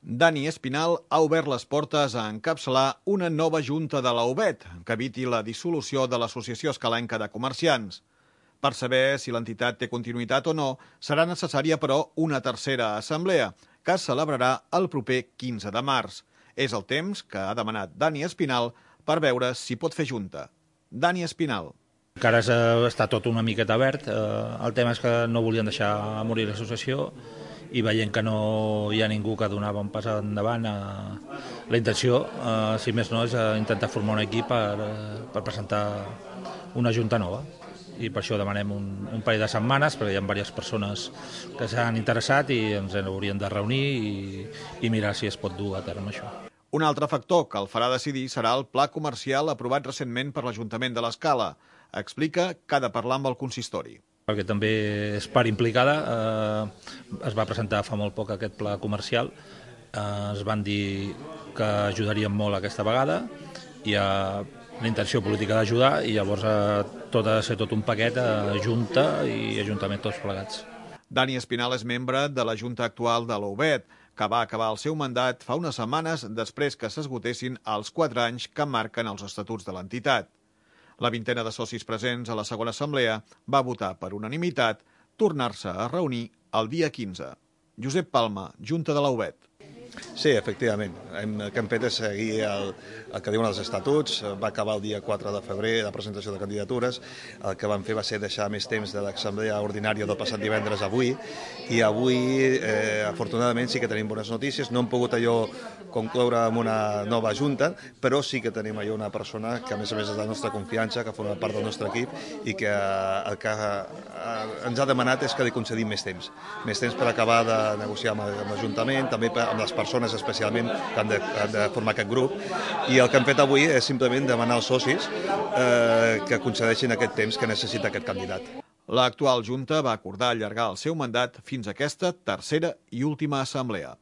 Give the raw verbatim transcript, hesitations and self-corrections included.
Dani Espinal ha obert les portes a encapçalar una nova junta de la U B E T que eviti la dissolució de l'Associació Escalenca de Comerciants. Per saber si l'entitat té continuïtat o no, serà necessària, però, una tercera assemblea, que es celebrarà el proper quinze de març. És el temps que ha demanat Dani Espinal per veure si pot fer junta. Dani Espinal. Encara està tot una miqueta obert. El tema és que no volien deixar morir l'associació i veient que no hi ha ningú que donava un pas endavant, la intenció, si més no, és intentar formar un equip per, per presentar una junta nova. I per això demanem un, un parell de setmanes, perquè hi ha diverses persones que s'han interessat i ens hauríem de reunir i, i mirar si es pot dur a terme això. Un altre factor que el farà decidir serà el pla comercial aprovat recentment per l'Ajuntament de l'Escala. Explica que ha de parlar amb el consistori. Perquè també és part implicada, eh, es va presentar fa molt poc aquest pla comercial, eh, es van dir que ajudarien molt aquesta vegada, hi ha la intenció política d'ajudar i llavors eh, tot ha de ser tot un paquet, eh, Junta i Ajuntament tots plegats. Dani Espinal és membre de la Junta actual de la U B E T, que va acabar el seu mandat fa unes setmanes després que s'esgotessin els quatre anys que marquen els estatuts de l'entitat. La vintena de socis presents a la segona assemblea va votar per unanimitat tornar-se a reunir el dia quinze. Josep Palma, Junta de la U B E T. Sí, efectivament. Hem, el que hem fet és seguir el, el que diuen els estatuts. Va acabar el dia quatre de febrer la presentació de candidatures. El que vam fer va ser deixar més temps de l'assemblea ordinària del passat divendres a avui. I avui, eh, afortunadament, sí que tenim bones notícies. No hem pogut allò concloure amb una nova junta, però sí que tenim allò una persona que, a més a més, és de la nostra confiança, que forma part del nostre equip i que el que ens ha demanat és que li concedim més temps. Més temps per acabar de negociar amb l'Ajuntament, també amb les persones especialment que han de, han de formar aquest grup, i el que hem fet avui és simplement demanar als socis eh, que concedeixin aquest temps que necessita aquest candidat. L'actual Junta va acordar allargar el seu mandat fins a aquesta tercera i última assemblea.